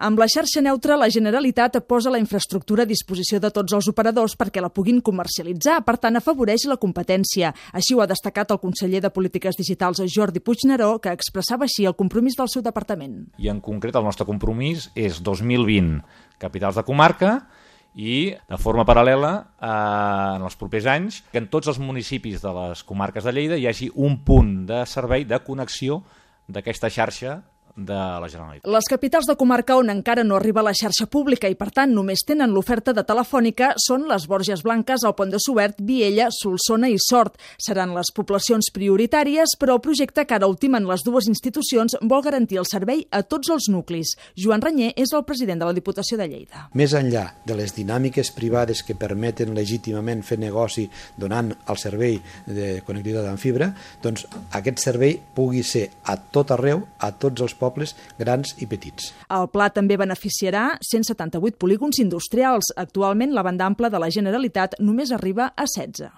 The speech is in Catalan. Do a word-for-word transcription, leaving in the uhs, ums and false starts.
Amb la xarxa neutra, la Generalitat posa la infraestructura a disposició de tots els operadors perquè la puguin comercialitzar, per tant, afavoreix la competència. Així ho ha destacat el conseller de Polítiques Digitals, Jordi Puigneró, que expressava així el compromís del seu departament. I en concret el nostre compromís és dos mil vint capitals de comarca i, de forma paral·lela, eh, en els propers anys, que en tots els municipis de les comarques de Lleida hi hagi un punt de servei de connexió d'aquesta xarxa de la Generalitat. Les capitals de comarca on encara no arriba la xarxa pública i, per tant, només tenen l'oferta de telefònica són les Borges Blanques, el Pont de Suert, Viella, Solsona i Sort. Seran les poblacions prioritàries, però el projecte que ara ultimen les dues institucions vol garantir el servei a tots els nuclis. Joan Ranyer és el president de la Diputació de Lleida. Més enllà de les dinàmiques privades que permeten legítimament fer negoci donant el servei de connectivitat amb fibra, doncs aquest servei pugui ser a tot arreu, a tots els pobles grans i petits. El pla també beneficiarà cent setanta-vuit polígons industrials. Actualment, la banda ampla de la Generalitat només arriba a setze.